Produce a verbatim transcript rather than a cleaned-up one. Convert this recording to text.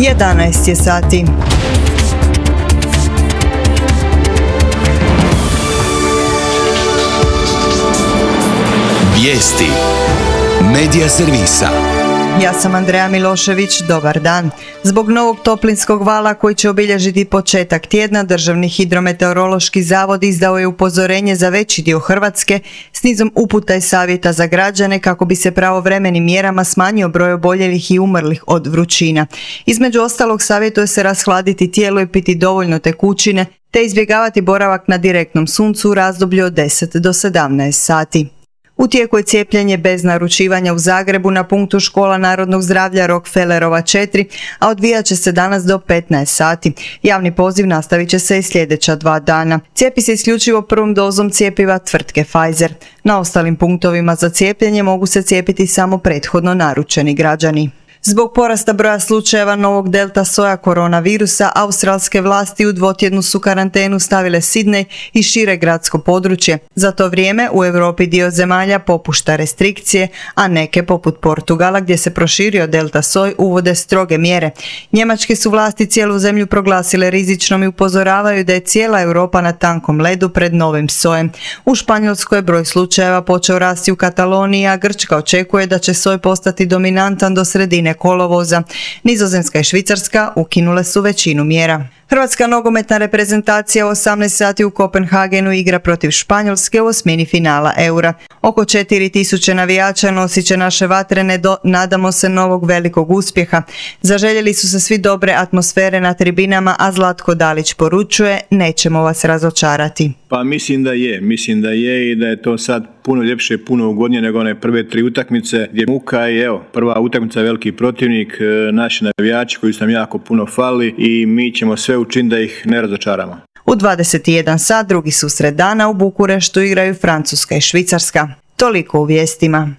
jedanaest je sati. Vijesti Medija servisa. Ja sam Andreja Milošević, dobar dan. Zbog novog toplinskog vala koji će obilježiti početak tjedna, Državni hidrometeorološki zavod izdao je upozorenje za veći dio Hrvatske s nizom uputa i savjeta za građane kako bi se pravovremenim mjerama smanjio broj oboljelih i umrlih od vrućina. Između ostalog, savjetuje se rashladiti tijelo i piti dovoljno tekućine, te izbjegavati boravak na direktnom suncu u razdoblju od deset do sedamnaest sati. U tijeku je cijepljenje bez naručivanja u Zagrebu na punktu Škola narodnog zdravlja Rockefellerova četiri, a odvijat će se danas do petnaest sati. Javni poziv nastavit će se i sljedeća dva dana. Cijepi se isključivo prvom dozom cjepiva tvrtke Pfizer. Na ostalim punktovima za cijepljenje mogu se cijepiti samo prethodno naručeni građani. Zbog porasta broja slučajeva novog delta soja koronavirusa, australske vlasti u dvotjednu su karantenu stavile Sidney i šire gradsko područje. Za to vrijeme u Europi dio zemalja popušta restrikcije, a neke, poput Portugala gdje se proširio delta soj, uvode stroge mjere. Njemačke su vlasti cijelu zemlju proglasile rizičnom i upozoravaju da je cijela Europa na tankom ledu pred novim sojem. U Španjolskoj je broj slučajeva počeo rasti u Kataloniji, a Grčka očekuje da će soj postati dominantan do sredine kolovoza. Nizozemska i Švicarska ukinule su većinu mjera. Hrvatska nogometna reprezentacija u osamnaest sati u Kopenhagenu igra protiv Španjolske u osmini finala Eura. Oko četiri tisuće navijača nosit će naše vatrene do, nadamo se, novog velikog uspjeha. Zaželjeli su se svi dobre atmosfere na tribinama, a Zlatko Dalić poručuje: nećemo vas razočarati. Pa mislim da je, mislim da je i da je to sad puno ljepše, puno ugodnije nego one prve tri utakmice gdje muka i evo, prva utakmica je veliki protivnik, naši navijači koji su nam jako puno fali i mi ćemo sve učiniti da ih ne razočaramo. U dvadeset jedan sat drugi susret dana u Bukureštu igraju Francuska i Švicarska. Toliko u vijestima.